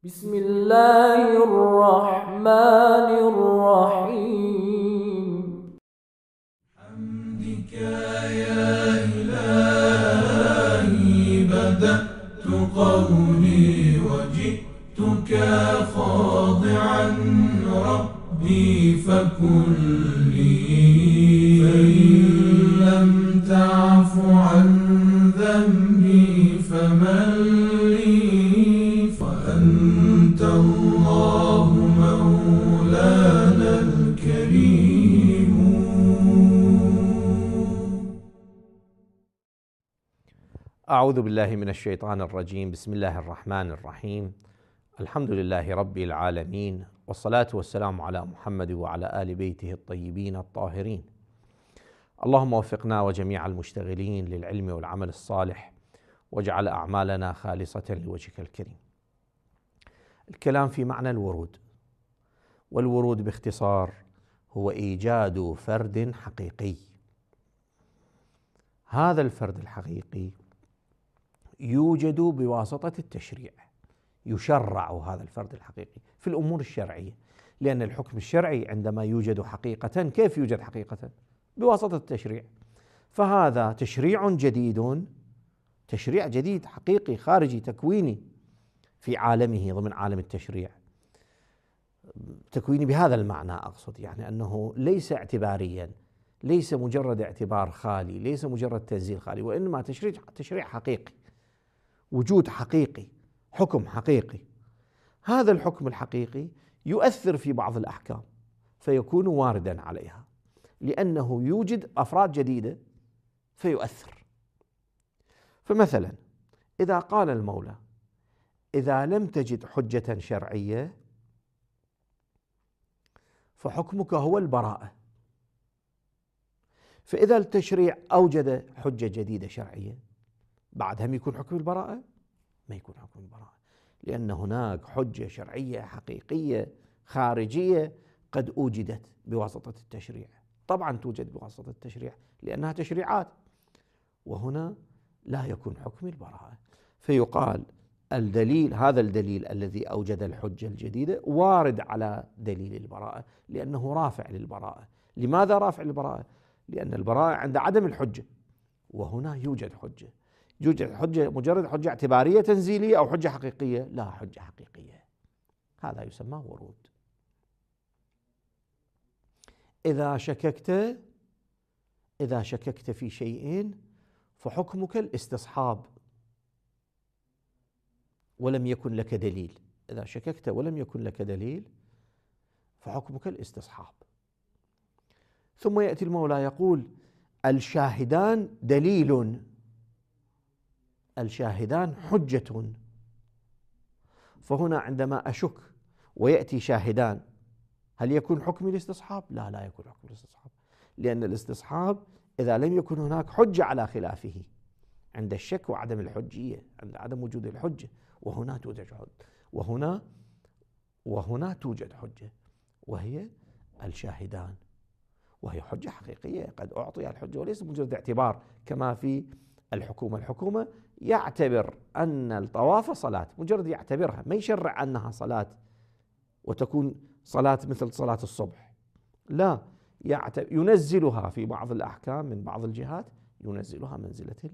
بسم الله الرحمن الرحيم. حمدك يا إلهي بدأت قولي وجئتك خاضعا ربي فكن لي، فإن لم تعف عن ذنبي فمن لي، فأنت الله مولانا الكريم. أعوذ بالله من الشيطان الرجيم. بسم الله الرحمن الرحيم. الحمد لله رب العالمين، والصلاة والسلام على محمد وعلى آل بيته الطيبين الطاهرين. اللهم وفقنا وجميع المشتغلين للعلم والعمل الصالح، واجعل أعمالنا خالصة لوجهك الكريم. الكلام في معنى الورود، والورود باختصار هو إيجاد فرد حقيقي. هذا الفرد الحقيقي يوجد بواسطة التشريع، يشرع هذا الفرد الحقيقي في الأمور الشرعية، لأن الحكم الشرعي عندما يوجد حقيقة، كيف يوجد حقيقة؟ بواسطة التشريع. فهذا تشريع جديد، تشريع جديد حقيقي خارجي تكويني في عالمه ضمن عالم التشريع، تكويني بهذا المعنى أقصد، يعني أنه ليس اعتباريا، ليس مجرد اعتبار خالي، ليس مجرد تنزيل خالي، وإنما تشريع حقيقي، وجود حقيقي، حكم حقيقي. هذا الحكم الحقيقي يؤثر في بعض الأحكام فيكون واردا عليها، لأنه يوجد أفراد جديدة فيؤثر. فمثلا إذا قال المولى: إذا لم تجد حجة شرعية فحكمك هو البراءة. فإذا التشريع أوجد حجة جديدة شرعية، بعد هم يكون حكم البراءة؟ ما يكون حكم البراءة، لأن هناك حجة شرعية حقيقية خارجية قد أوجدت بواسطة التشريع. طبعا توجد بواسطة التشريع لأنها تشريعات، وهنا لا يكون حكم البراءة. فيقال الدليل، هذا الدليل الذي أوجد الحجة الجديدة وارد على دليل البراءة، لأنه رافع للبراءة. لماذا رافع للبراءة؟ لأن البراءة عند عدم الحجة، وهنا يوجد حجة. يوجد حجة، مجرد حجة اعتبارية تنزيلية أو حجة حقيقية؟ لا، حجة حقيقية. هذا يسمى ورود. إذا شككت في شيء فحكمك الاستصحاب، ولم يكن لك دليل. إذا شككت ولم يكن لك دليل فحكمك الاستصحاب. ثم يأتي المولى يقول: الشاهدان دليل، الشاهدان حجة. فهنا عندما أشك ويأتي شاهدان، هل يكون حكم الاستصحاب؟ لا، لا يكون حكم الاستصحاب، لأن الاستصحاب إذا لم يكن هناك حجة على خلافه، عند الشك وعدم الحجية، عند عدم وجود الحجة، وهنا توجد حجة، وهنا توجد حجة وهي الشاهدان، وهي حجة حقيقية قد أعطي الحجة، وليس مجرد اعتبار كما في الحكومة. الحكومة يعتبر أن الطواف صلاة، مجرد يعتبرها، ما يشرع أنها صلاة وتكون صلاة مثل صلاة الصبح، لا، ينزلها في بعض الأحكام من بعض الجهات، ينزلها منزلة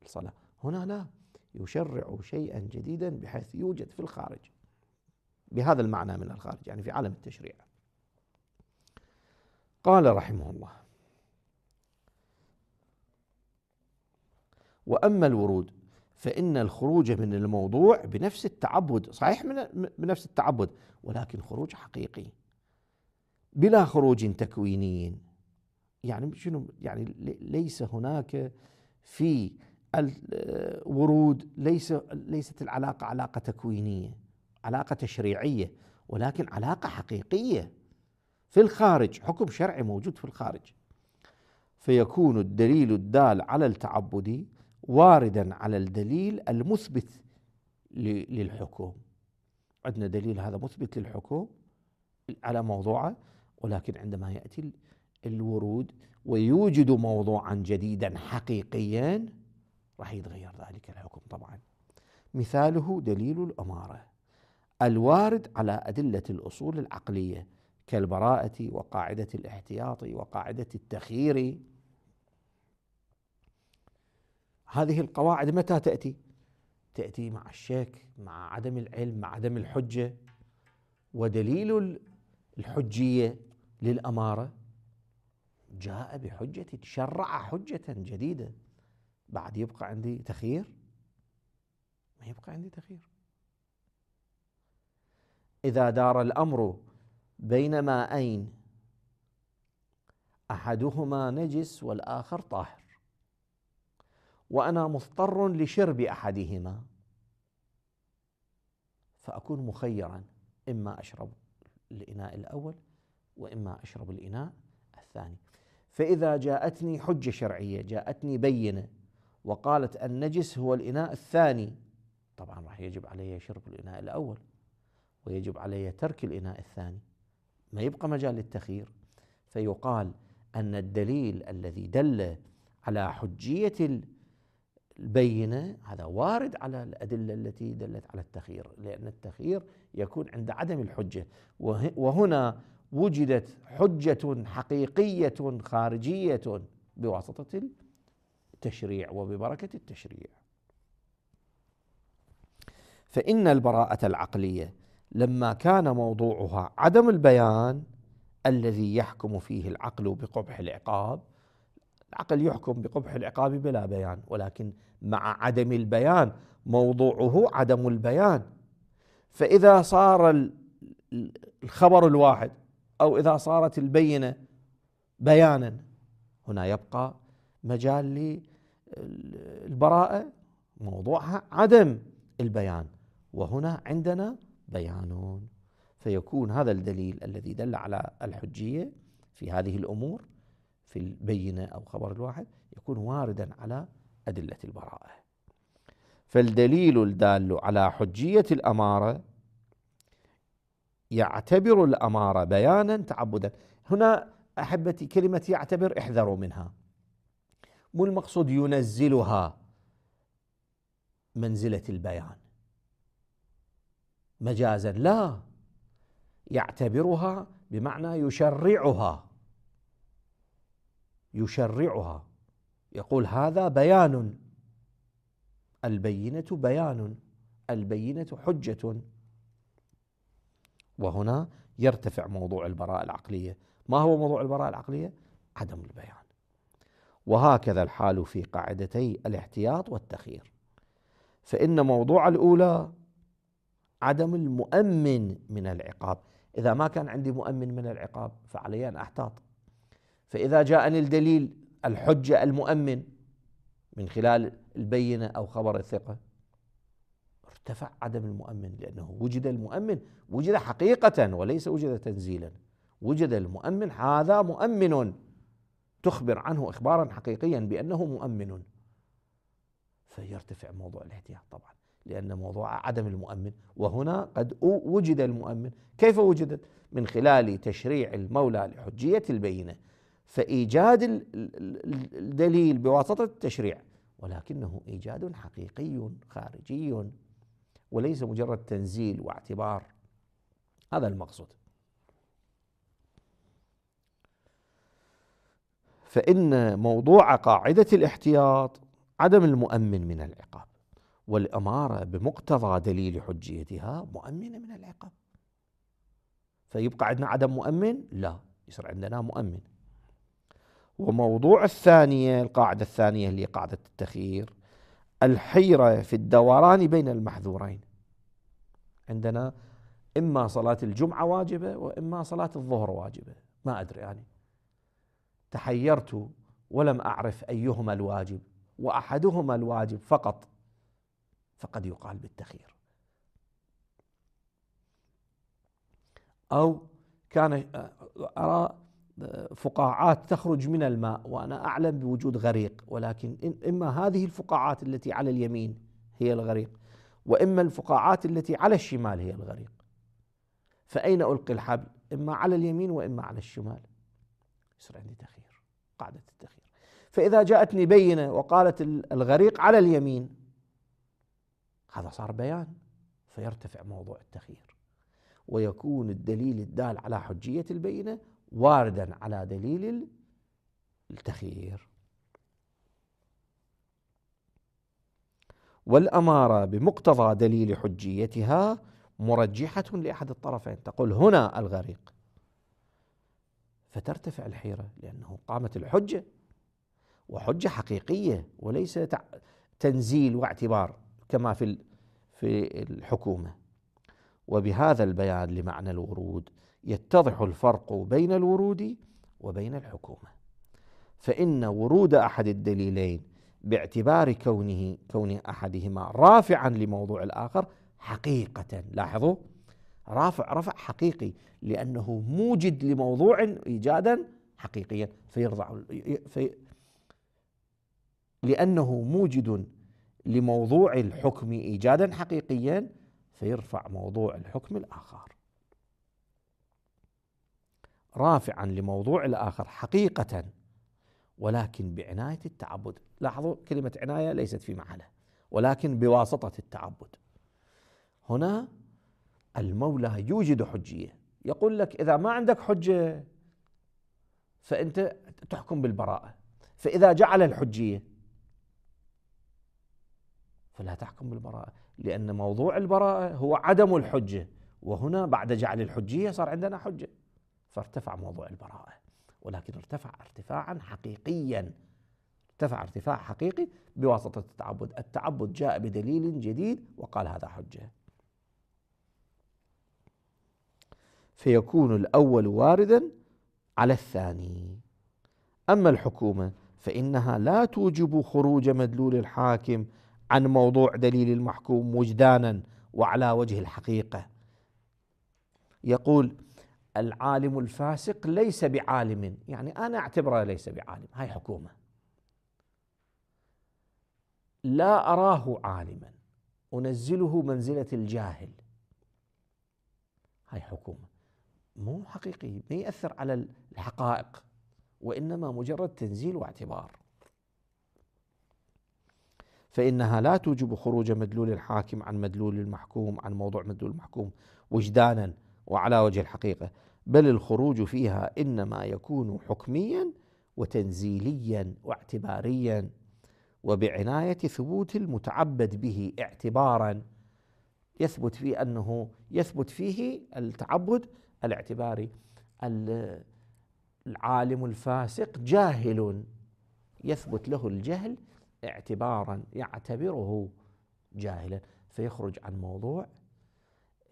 الصلاة. هنا لا، يشرع شيئا جديدا بحيث يوجد في الخارج، بهذا المعنى من الخارج، يعني في عالم التشريع. قال رحمه الله: وأما الورود فإن الخروج من الموضوع بنفس التعبد، صحيح بنفس التعبد، ولكن خروج حقيقي بلا خروج تكويني. يعني شنو؟ يعني ليس هناك في الورود، ليست العلاقة علاقة تكوينية، علاقة تشريعية، ولكن علاقة حقيقية في الخارج، حكم شرعي موجود في الخارج. فيكون الدليل الدال على التعبد واردا على الدليل المثبت للحكم. عندنا دليل هذا مثبت للحكم على موضوعه، ولكن عندما يأتي الورود ويوجد موضوعا جديدا حقيقيا راح يتغير ذلك الحكم طبعا. مثاله دليل الأمارة الوارد على أدلة الأصول العقلية كالبراءة وقاعدة الاحتياط وقاعدة التخيير. هذه القواعد متى تأتي؟ تأتي مع الشك، مع عدم العلم، مع عدم الحجة. ودليل الحجية للأمارة جاء بحجة، شرع حجة جديدة، بعد يبقى عندي تخيير؟ ما يبقى عندي تخيير. إذا دار الأمر بين ماءين أحدهما نجس والآخر طاهر، وأنا مضطر لشرب أحدهما، فأكون مخيرا، إما أشرب الإناء الأول وإما أشرب الإناء الثاني. فإذا جاءتني حجة شرعية، جاءتني بينة وقالت النجس هو الإناء الثاني، طبعا راح يجب علي شرب الإناء الأول ويجب علي ترك الإناء الثاني، ما يبقى مجال للتخيير. فيقال أن الدليل الذي دل على حجية البينة هذا وارد على الأدلة التي دلت على التخيير، لأن التخيير يكون عند عدم الحجة، وهنا وجدت حجة حقيقية خارجية بواسطة التشريع وببركة التشريع. فإن البراءة العقلية لما كان موضوعها عدم البيان الذي يحكم فيه العقل بقبح العقاب، العقل يحكم بقبح العقاب بلا بيان، ولكن مع عدم البيان موضوعه عدم البيان. فإذا صار الخبر الواحد أو إذا صارت البينة بيانا، هنا يبقى مجال للبراءة موضوعها عدم البيان، وهنا عندنا بيان. فيكون هذا الدليل الذي دل على الحجية في هذه الأمور في البينة أو خبر الواحد يكون واردا على أدلة البراءة. فالدليل الدال على حجية الأمارة يعتبر الأمارة بيانا تعبدا. هنا أحبتي كلمة يعتبر احذروا منها، مو المقصود ينزلها منزلة البيان مجازا، لا، يعتبرها بمعنى يشرعها، يشرعها، يقول هذا بيان، البينة بيان، البينة حجة. وهنا يرتفع موضوع البراءة العقلية. ما هو موضوع البراءة العقلية؟ عدم البيان. وهكذا الحال في قاعدتي الاحتياط والتخيير، فإن موضوع الأولى عدم المؤمن من العقاب، إذا ما كان عندي مؤمن من العقاب فعلي أن أحتاط. فإذا جاءني الدليل الحجة المؤمن من خلال البينة أو خبر الثقة، ارتفع عدم المؤمن، لأنه وجد المؤمن، وجد حقيقة وليس وجد تنزيلا، وجد المؤمن، هذا مؤمن تخبر عنه إخبارا حقيقيا بأنه مؤمن، فيرتفع موضوع الاحتياط طبعا، لأن موضوع عدم المؤمن، وهنا قد وجد المؤمن. كيف وجدت؟ من خلال تشريع المولى لحجية البينة، فإيجاد الدليل بواسطة التشريع، ولكنه إيجاد حقيقي خارجي وليس مجرد تنزيل واعتبار. هذا المقصود. فإن موضوع قاعدة الاحتياط عدم المؤمن من العقاب، والأمارة بمقتضى دليل حجيتها مؤمنة من العقاب، فيبقى عندنا عدم مؤمن؟ لا، يصير عندنا مؤمن. وموضوع الثانية، القاعدة الثانية اللي قاعدة التخيير، الحيرة في الدوران بين المحذورين. عندنا إما صلاة الجمعة واجبة وإما صلاة الظهر واجبة، ما أدري يعني، تحيرت ولم أعرف أيهما الواجب، وأحدهما الواجب فقط، فقد يقال بالتخيير. أو كان أرى فقاعات تخرج من الماء وأنا أعلم بوجود غريق، ولكن إما هذه الفقاعات التي على اليمين هي الغريق، وإما الفقاعات التي على الشمال هي الغريق، فأين ألقي الحبل؟ إما على اليمين وإما على الشمال، يصير عندي تخيير، قاعدة التخيير. فإذا جاءتني بينة وقالت الغريق على اليمين، هذا صار بيان، فيرتفع موضوع التخيير، ويكون الدليل الدال على حجية البينة واردا على دليل التخيير. والأمارة بمقتضى دليل حجيتها مرجحة لأحد الطرفين، تقول هنا الغريق، فترتفع الحيرة لأنه قامت الحجة، وحجة حقيقية وليس تنزيل واعتبار كما في الحكومة. وبهذا البيان لمعنى الورود يتضح الفرق بين الورود وبين الحكومة، فإن ورود أحد الدليلين باعتبار كون أحدهما رافعا لموضوع الآخر حقيقة، لاحظوا رافع رفع حقيقي لأنه موجد لموضوع إيجادا حقيقيا، فيرضع لأنه موجد لموضوع الحكم إيجادا حقيقيا فيرفع موضوع الحكم الآخر، رافعا لموضوع الآخر حقيقة ولكن بعناية التعبد. لاحظوا كلمة عناية ليست في محلها، ولكن بواسطة التعبد. هنا المولى يوجد حجية، يقول لك إذا ما عندك حجة فأنت تحكم بالبراءة، فإذا جعل الحجية فلا تحكم بالبراءة، لأن موضوع البراءة هو عدم الحجة، وهنا بعد جعل الحجية صار عندنا حجة، فارتفع موضوع البراءة، ولكن ارتفع ارتفاعا حقيقيا، ارتفع ارتفاع حقيقي بواسطة التعبد. التعبد جاء بدليل جديد وقال هذا حجة، فيكون الأول واردا على الثاني. أما الحكومة فإنها لا توجب خروج مدلول الحاكم عن موضوع دليل المحكوم وجدانا وعلى وجه الحقيقة. يقول العالم الفاسق ليس بعالم، يعني أنا أعتبره ليس بعالم، هاي حكومة، لا أراه عالما، أنزله منزلة الجاهل، هاي حكومة، مو حقيقي، ما يأثر على الحقائق، وإنما مجرد تنزيل واعتبار. فإنها لا توجب خروج مدلول الحاكم عن مدلول المحكوم، عن موضوع مدلول المحكوم وجدانا وعلى وجه الحقيقة، بل الخروج فيها إنما يكون حكميا وتنزيليا واعتباريا، وبعناية ثبوت المتعبد به اعتبارا، يثبت فيه أنه يثبت فيه التعبد الاعتباري. العالم الفاسق جاهل، يثبت له الجهل اعتبارا، يعتبره جاهلا، فيخرج عن موضوع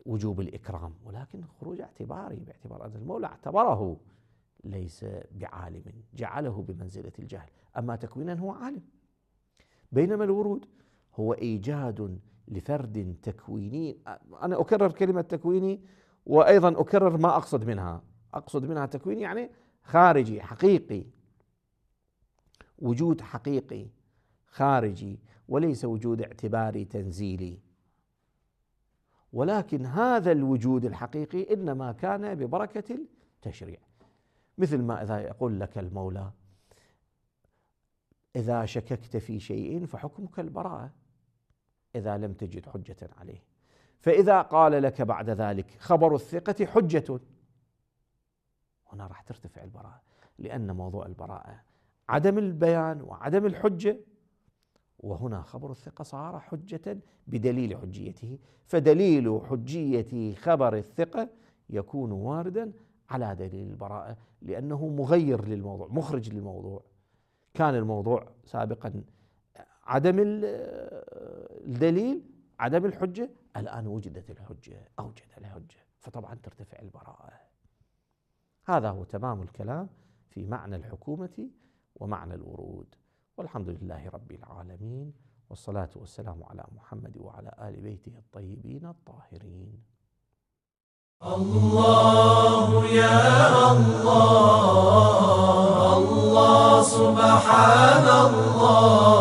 وجوب الإكرام، ولكن خروج اعتباري باعتبار أن المولى اعتبره ليس بعالم، جعله بمنزلة الجهل، أما تكوينا هو عالم. بينما الورود هو إيجاد لفرد تكويني. أنا أكرر كلمة تكويني وأيضا أكرر ما أقصد منها، أقصد منها تكويني يعني خارجي حقيقي، وجود حقيقي خارجي وليس وجود اعتباري تنزيلي، ولكن هذا الوجود الحقيقي إنما كان ببركة التشريع. مثل ما إذا يقول لك المولى إذا شككت في شيء فحكمك البراءة إذا لم تجد حجة عليه، فإذا قال لك بعد ذلك خبر الثقة حجة، هنا راح ترتفع البراءة، لأن موضوع البراءة عدم البيان وعدم الحجة، وهنا خبر الثقة صار حجة بدليل حجيته، فدليل حجية خبر الثقة يكون واردا على دليل البراءة، لأنه مغير للموضوع، مخرج للموضوع. كان الموضوع سابقا عدم الدليل، عدم الحجة، الآن وجدت الحجة، أوجد الحجة، فطبعا ترتفع البراءة. هذا هو تمام الكلام في معنى الحكومة ومعنى الورود. والحمد لله رب العالمين، والصلاة والسلام على محمد وعلى آل بيته الطيبين الطاهرين. الله يا الله، الله سبحان الله.